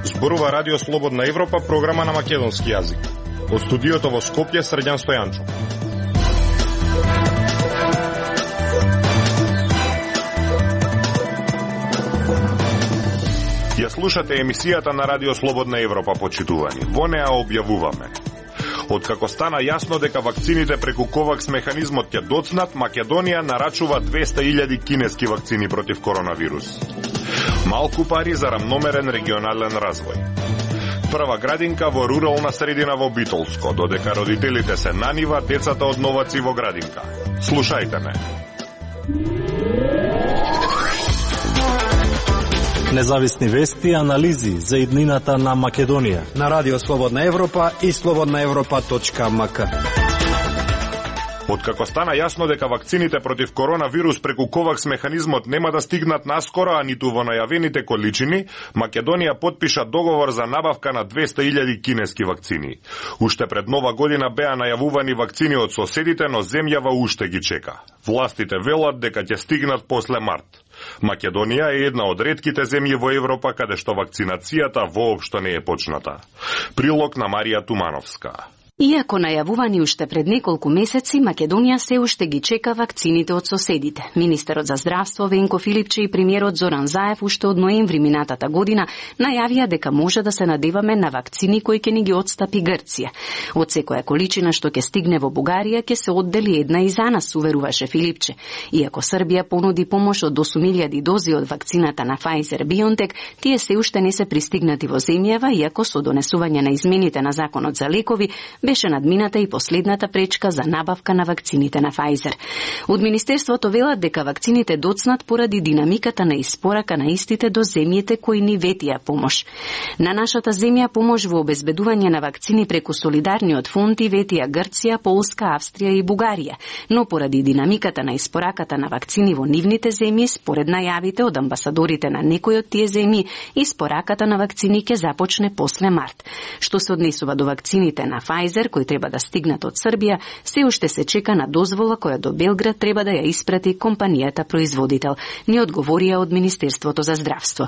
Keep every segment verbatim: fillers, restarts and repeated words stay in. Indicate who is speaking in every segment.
Speaker 1: Зборува Радио Слободна Европа, програма на македонски јазик. Од студиото во Скопје, Срđan Стојанчов. Ја слушате емисијата на Радио Слободна Европа, почитувани. Во неа објавуваме: откако стана јасно дека вакцините преку Ковакс механизмот ќе доцнат, Македонија нарачува двеста илјади кинески вакцини против коронавирус. Малку пари за рамномерен регионален развој. Прва градинка во рурална средина во Битолско, додека родителите се на нива, децата од новаци во градинка. Слушајте ме.
Speaker 2: Независни вести и анализи за иднината на Македонија
Speaker 3: на Радио Слободна Европа и слободна европа точка ем ка.
Speaker 1: Откако стана јасно дека вакцините против коронавирус преку Ковакс механизмот нема да стигнат наскоро, а ниту во најавените количини, Македонија потпиша договор за набавка на двеста илјади кинески вакцини. Уште пред нова година беа најавувани вакцини од соседите, но земјава уште ги чека. Властите велат дека ќе стигнат после март. Македонија е една од ретките земји во Европа каде што вакцинацијата воопшто не е почната. Прилог на Марија Тумановска.
Speaker 4: Иако најавувани уште пред неколку месеци, Македонија се уште ги чека вакцините од соседите. Министерот за здравство Венко Филипче и премиерот Зоран Заев уште од ноември минатата година најавија дека може да се надеваме на вакцини кои ќе ни ги отстапи Грција. Од секоја количина што ќе стигне во Бугарија ќе се оддели една и за нас, уверуваше Филипче. Иако Србија понуди помош од осум илјади дози од вакцината на Pfizer-BioNTech, тие се уште не се пристигнати во земјава, иако со донесување на измените на законот за лекови беше надмината и последната пречка за набавка на вакцините на Pfizer. Од Министерството велат дека вакцините доцнат поради динамиката на испорака на истите до земјите кои ни ветија помош. На нашата земја помош во обезбедување на вакцини преку солидарниот фонд и ветија Грција, Полска, Австрија и Бугарија, но поради динамиката на испораката на вакцини во нивните земји, според најавите од амбасадорите на некои од тие земји, испораката на вакцини ќе започне после март. Што се однесува до вакцините на Pfizer, кои треба да стигнат од Србија, се уште се чека на дозвола која до Белград треба да ја испрати компанијата производител, ни одговорија од Министерството за здравство.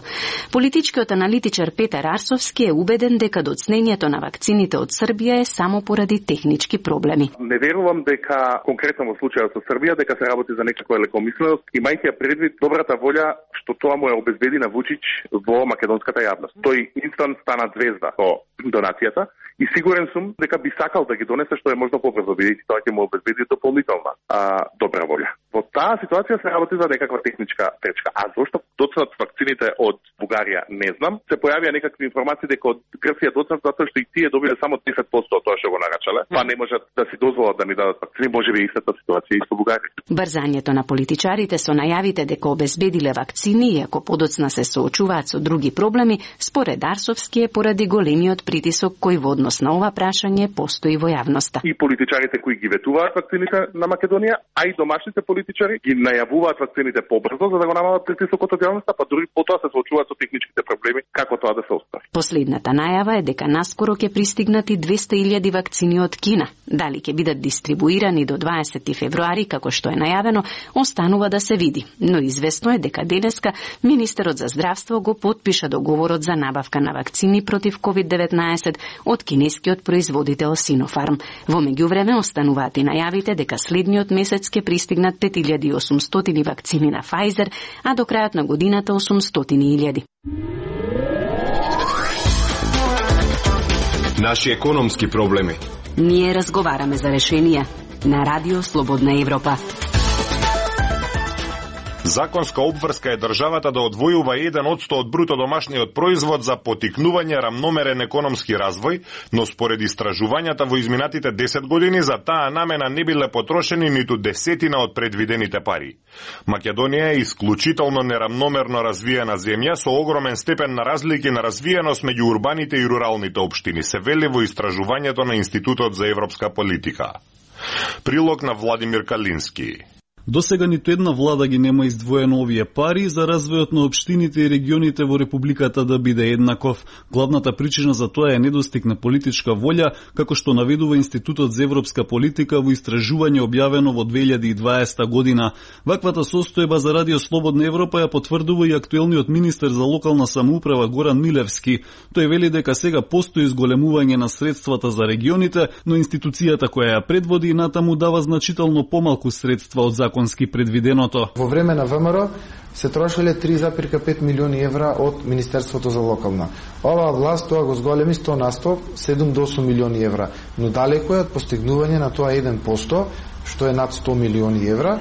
Speaker 4: Политичкиот аналитичар Петар Арсовски е убеден дека доцнењето на вакцините од Србија е само поради технички проблеми.
Speaker 5: Не верувам дека конкретно во случајот со Србија дека се работи за некаква лекомисленост, имајќи ја предвид добрата волја што тоа му е обезбеди на Вучич во македонската јавност. Тој инстант стана звезда со донацијата и сигурен сум дека би сакал да ги донесе што е можно побрзо, бидејќи тоа ќе му обезбеди дополнителна а, добра волја. Во таа ситуација се работи за некаква техничка пречка. А зошто доцнат вакцините од Бугарија, не знам. Се појавија некакви информации дека од Грција доцнат затоа што и тие добиле само десет посто од тоа што го нарачале. Па не можат да си дозволат да ми дадат вакцини, можеби и истата ситуација и со Бугарија.
Speaker 4: Брзањето на политичарите со најавите дека обезбедиле вакцини и ако подоцна се соочуваат со други проблеми, според Арсовски е поради големиот притисок кој во однос на ова прашање постои во јавноста.
Speaker 5: И политичарите кои ги ветуваат вакцините на Македонија, а и домашните политичари ги најавуваат вакцините побрзо за да го намалат притисокот од јавноста, па дури потоа се соочуваат со техничките проблеми како тоа да се остари.
Speaker 4: Последната најава е дека наскоро ќе пристигнати двеста илјади вакцини од Кина. Дали ќе бидат дистрибуирани до дваесети февруари како што е најавено, останува да се види. Но известно е дека денеска министерот за здравство го потпиша договорот за набавка на вакцини против ковид деветнаесет од кинескиот производител Sinopharm. Во меѓувреме остануваат и најавите дека следниот месец ќе пристигнат пет илјади и осумстотини вакцини на Pfizer, а до крајот на годината осумстотини илјади.
Speaker 6: Наши економски проблеми.
Speaker 4: Ние разговараме за решенија на Радио Слободна Европа.
Speaker 1: Законска обврска е државата да одвојува еден одсто од бруто домашниот производ за поттикнување рамномерен економски развој, но според истражувањата во изминатите десет години за таа намена не биле потрошени ниту десетина од предвидените пари. Македонија е исклучително нерамномерно развиена земја со огромен степен на разлики на развиеност меѓу урбаните и руралните општини, се вели во истражувањето на Институтот за европска политика. Прилог на Владимир Калински.
Speaker 7: Досега ниту една влада ги нема издвоено овие пари за развојот на општините и регионите во републиката да биде еднаков. Главната причина за тоа е недостиг на политичка волја, како што наведува Институтот за европска политика во истражување објавено во две илјади и дваесета година. Ваквата состојба за Радио Слободна Европа ја потврдува и актуелниот министер за локална самоуправа Горан Милевски. Тој вели дека сега постои зголемување на средствата за регионите, но институцијата која ја предводи натаму дава значително помалку средства од законски предвиденото.
Speaker 8: Во време на ВМРО се трошеле три запирка пет милиони евра од Министерството за локална. Оваа власт тоа го зголеми сто на сто, седум до осум милиони евра, но далеко е од постигнување на тоа еден процент, што е над сто милиони евра,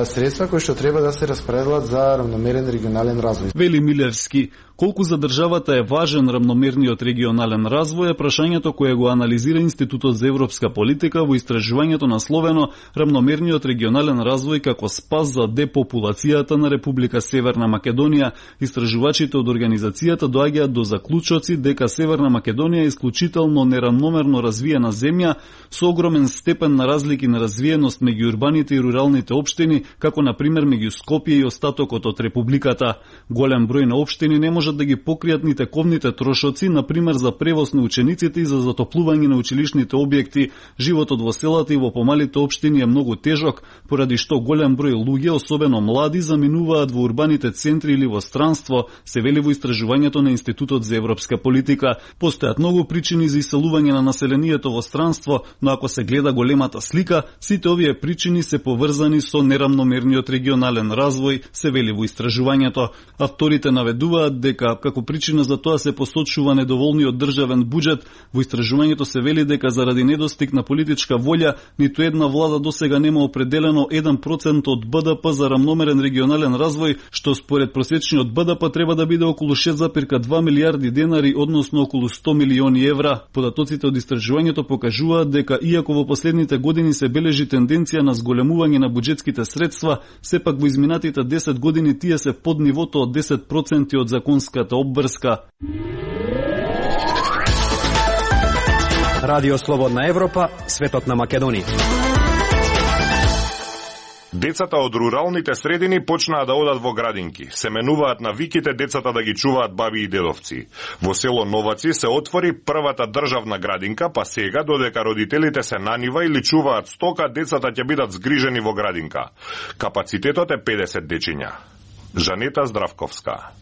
Speaker 8: средства кои што треба да се распределат за рамномерен регионален развој.
Speaker 7: Вели Милевски, колку за државата е важен рамномерниот регионален развој е прашањето кое го анализира Институтот за европска политика во истражувањето насловено Рамномерниот регионален развој како спас за депопулацијата на Република Северна Македонија. Истражувачите од организацијата доаѓаат до заклучоци дека Северна Македонија е исклучително нерамномерно развиена земја со огромен степен на разлики на развиеност меѓу урбаните и руралните општини, како на пример меѓу Скопје и остатокот од републиката. Голем број на општини не можат да ги покријат ни тековните трошоци, на пример за превоз на учениците и за затоплување на училишните објекти. Животот во селата и во помалите општини е многу тежок, поради што голем број луѓе, особено млади, заминуваат во урбаните центри или во странство, се вели во истражувањето на Институтот за европска политика. Постојат многу причини за иселување на населението во странство, но ако се гледа големата слика, сите овие причини се поврзани со нерамномерниот регионален развој, се вели во истражувањето. Авторите наведуваат дека како причина за тоа се посочува недоволниот државен буџет. Во истражувањето се вели дека заради недостиг на политичка волја, ниту една влада досега нема определено еден процент од БДП за рамномерен регионален развој, што според просечниот БДП треба да биде околу шест запирка два милијарди денари, односно околу сто милиони евра. Податоците од истражувањето покажуваат дека иако во последните години се бележи тенденција на зголемување на буџетските средства, сепак во изминатите десет години тие се под нивото од десет проценти од законската обврска.
Speaker 3: Радио Слободна Европа, светот на Македонија.
Speaker 1: Децата од руралните средини почнаа да одат во градинки. Се менуваат навиките децата да ги чуваат баби и дедовци. Во село Новаци се отвори првата државна градинка, па сега, додека родителите се на нива или чуваат стока, децата ќе бидат згрижени во градинка. Капацитетот е педесет дечиња. Жанета Здравковска.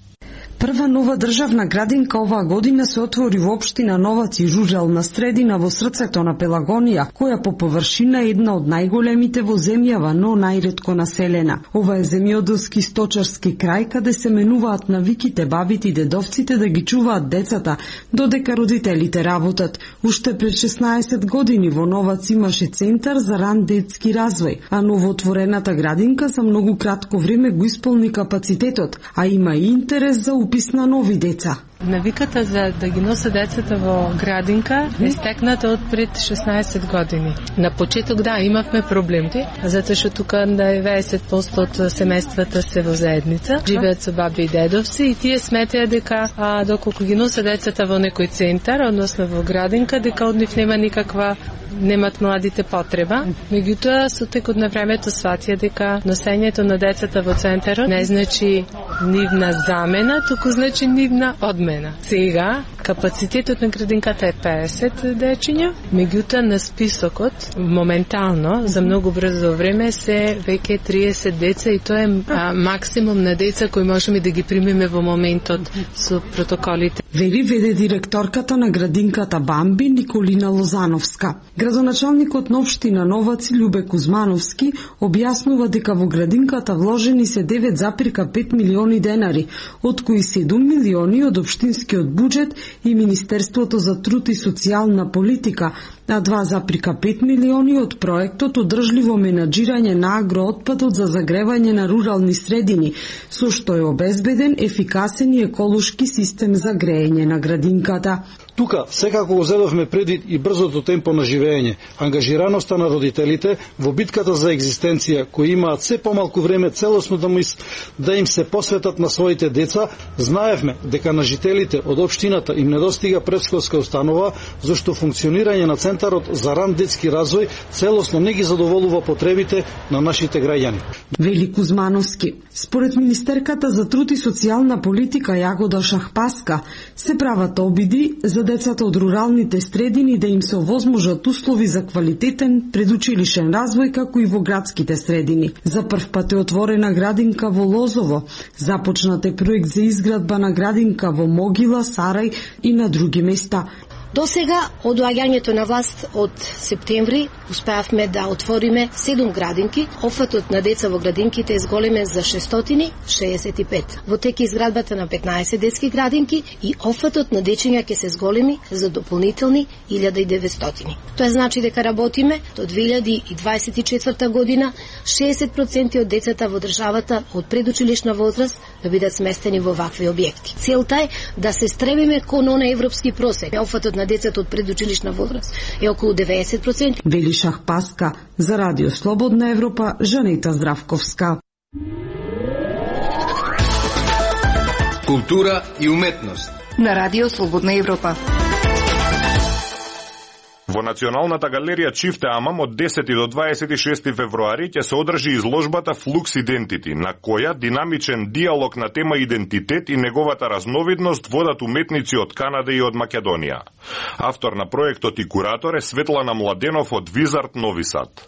Speaker 9: Прва нова државна градинка оваа година се отвори во општина Новаци, рурална средина во срцето на Пелагонија, која по површина е една од најголемите во земјава, но најретко населена. Ова е земјоделски сточарски крај каде се менуваат навиките бабите и дедовците да ги чуваат децата, додека родителите работат. Уште пред шеснаесет години во Новац имаше центар за ран детски развој, а новоотворената градинка за многу кратко време го исполни капацитетот, а има и интерес за упис на нови деца.
Speaker 10: Навиката за да ги носа децата во градинка е стекната од пред шеснаесет години. На почеток да, имавме проблеми, затоа што тука деветдесет проценти од семејствата се во заедница, живеат со баби и дедовци и тие сметаат дека а, доколку ги носа децата во некој центар, односно во градинка, дека од нив нема никаква немат младите потреба. Меѓутоа, со текот на времето сватија дека носењето на децата во центарот не значи нивна замена, туку значи нивна одмена. Сега, капацитетот на градинката е педесет дечиња, меѓутоа на списокот, моментално, за многу брзо време, се веќе триесет деца и тоа е а, максимум на деца кои можеме да ги примеме во моментот со протоколите.
Speaker 9: Вели веде директорката на градинката Бамби Николина Лозановска. Градоначалникот на општина Новаци Љубе Кузмановски објаснува дека во градинката вложени се девет запирка пет милиони денари, од кои седум милиони од општинскиот буџет и Министерството за труд и социјална политика, а два запирка пет милиони од проектот Одржливо менаџирање на агроотпадот за загревање на рурални средини, со што е обезбеден ефикасен и еколошки систем за грејење на градинката.
Speaker 11: Тука секако го зедовме предвид и брзото темпо на живење, ангажираноста на родителите во битката за екзистенција, кои имаат се помалку време целосно да, мис, да им се посветат на своите деца. Знаевме дека на жителите од општината им недостига претшколска установа, зашто функционирање на центар Центарот за ран детски развој целосно не ги задоволува потребите на нашите граѓани.
Speaker 9: Вели Кузмановски. Според Министерката за труд и социјална политика Јагода Шахпаска, се прават обиди за децата од руралните средини да им се овозможат услови за квалитетен предучилишен развој како и во градските средини. За прв пат е отворена градинка во Лозово. Започнат е проект за изградба на градинка во Могила, Сарај и на други места.
Speaker 12: До сега, од доаѓањето на власт од септември, успеавме да отвориме седум градинки. Офатот на деца во градинките е зголемен за шестстотини шеесет и пет. Во тек изградбата на петнаесет детски градинки и офатот на дечиња ќе се зголеми за дополнителни илјада и деветстотини. Тоа значи дека работиме до две илјади и дваесет и четврта година шеесет проценти од децата во државата од предучилишна возраст да бидат сместени во вакви објекти. Целта е да се стремиме кон онај европски просек. Офатот на децата од предучилишна возраст е околу деветдесет проценти.
Speaker 9: Вели Шахпаска за Радио Слободна Европа, Жанета Здравковска.
Speaker 6: Култура и уметност
Speaker 13: на Радио Слободна Европа.
Speaker 1: Во Националната галерија Чифте Амам од десети до дваесет и шести февруари ќе се одржи изложбата Flux Identity, на која динамичен диалог на тема идентитет и неговата разновидност водат уметници од Канада и од Македонија. Автор на проектот и куратор е Светлана Младенов од Визард Нови Сад.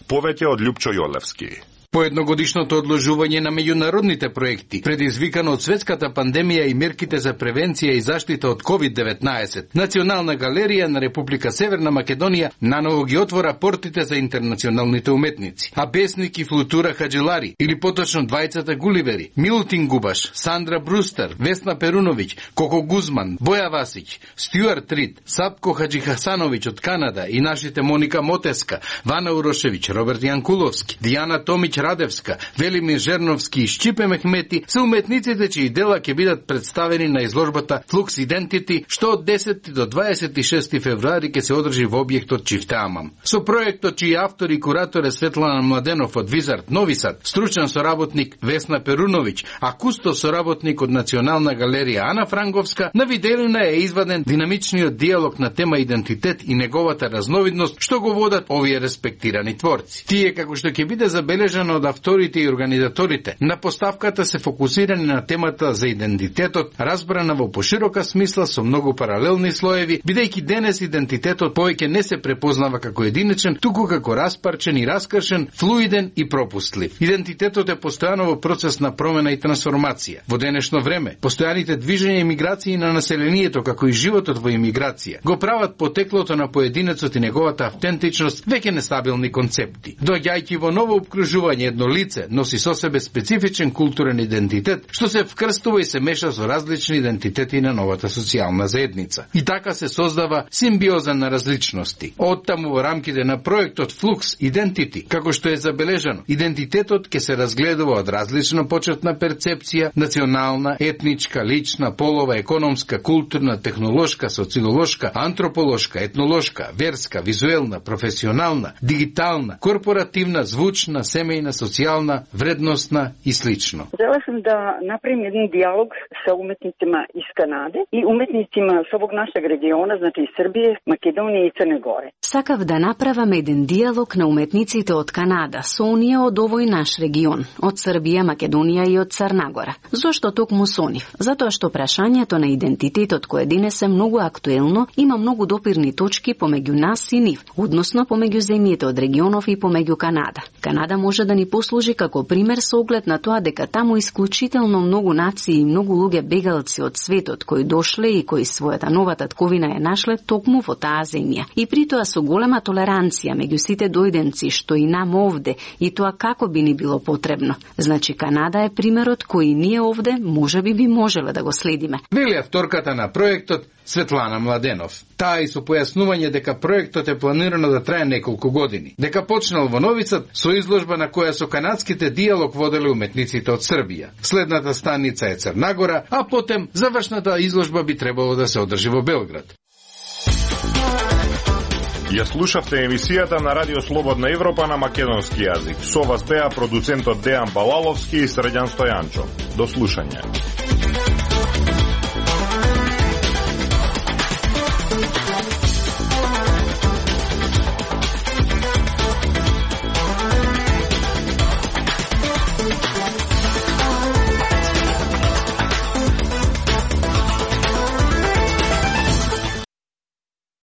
Speaker 1: Повеќе од Љупчо Јолевски.
Speaker 14: По едногодишното одложување на меѓународните проекти, предизвикано од светската пандемија и мерките за превенција и заштита од ковид деветнаесет, Национална галерија на Република Северна Македонија наново ги отвора портите за интернационалните уметници. А Бесник и Флутура Хаджилари, или поточно двајцата Гуливери, Милутин Губаш, Сандра Брустер, Весна Перуновиќ, Коко Гузман, Боја Васиќ, Стюарт Рид, Сапко Хаджихасановиќ од Канада и нашите Моника Мотеска, Вана Урошевиќ, Роберт Јанкуловски, Дијана Томиќ Радевска, Велимир Жерновски и Шчипе Мехмети се уметниците чии дела ќе бидат представени на изложбата Flux Identity, што од десети до дваесет и шести февруари ќе се одржи во објектот Чифте Амам. Со проектот чии автор и куратор е Светлана Младенов од Визард Нови Сад, стручен соработник Весна Перуновиќ, а кусто соработник од Национална галерија Ана Франговска, на виделина е изваден динамичниот диалог на тема идентитет и неговата разновидност, што го водат овие респектирани творци. Тие, како што ќе биде забележано од авторите и организаторите, на поставката се фокусирани на темата за идентитетот, разбрана во поширока смисла со многу паралелни слоеви, бидејќи денес идентитетот повеќе не се препознава како единичен, туку како распарчен и раскршен, флуиден и пропустлив. Идентитетот е постојано во процес на промена и трансформација. Во денешно време, постојаните движења и миграции на населението, како и животот во имиграција, го прават потеклото на поединецот и неговата автентичност веќе нестабилни концепти. Доаѓајќи во ново обкружување, едно лице носи со себе специфичен културен идентитет, што се вкрстува и се меша со различни идентитети на новата социјална заедница. И така се создава симбиоза на различности. Оттаму во рамките на проектот Flux Identity, како што е забележано, идентитетот ќе се разгледува од различна почетна перцепција, национална, етничка, лична, полова, економска, културна, технолошка, социолошка, антрополошка, етнолошка, верска, визуелна, професионална, дигитална, корпоративна, звучна, семејна, социјална, вредностна и слично.
Speaker 15: Желела сум да направим еден диалог со уметницima из Канаде и уметницima со овог нашeg региона, значи из Србија, Македонија и Црна Гора.
Speaker 4: Сакав да направам еден диалог на уметниците од Канада со оние од овој наш регион, од Србија, Македонија и од Црна Гора. Зошто токму со нив? Затоа што прашањето на идентитетот кој денес е многу актуелно, има многу допирни точки помеѓу нас и нив, односно помеѓу земјите од регионов и помеѓу Канада. Канада може да ни послужи како пример со оглед на тоа дека таму исклучително многу нации и многу луѓе бегалци од светот кои дошле и кои својата нова татковина е нашле токму во таа земја. И при тоа со голема толеранција меѓу сите дојденци што и нам овде и тоа како би ни било потребно. Значи Канада е примерот кој ние овде можеби би можеле да го следиме.
Speaker 14: Вели авторката на проектот Светлана Младенов. Таа и со појаснување дека проектот е планирано да трае неколку години. Дека почнал во Нови Сад со изложба на која со канадските диалог воделе уметниците од Србија. Следната станица е Црна Гора, а потем завршната изложба би требало да се одржи во Белград.
Speaker 1: Ја слушавте емисијата на Радио Слободна Европа на македонски јазик. Со вас беа продуцентот Дејан Балаловски и Срđan Стојанчо. До слушање.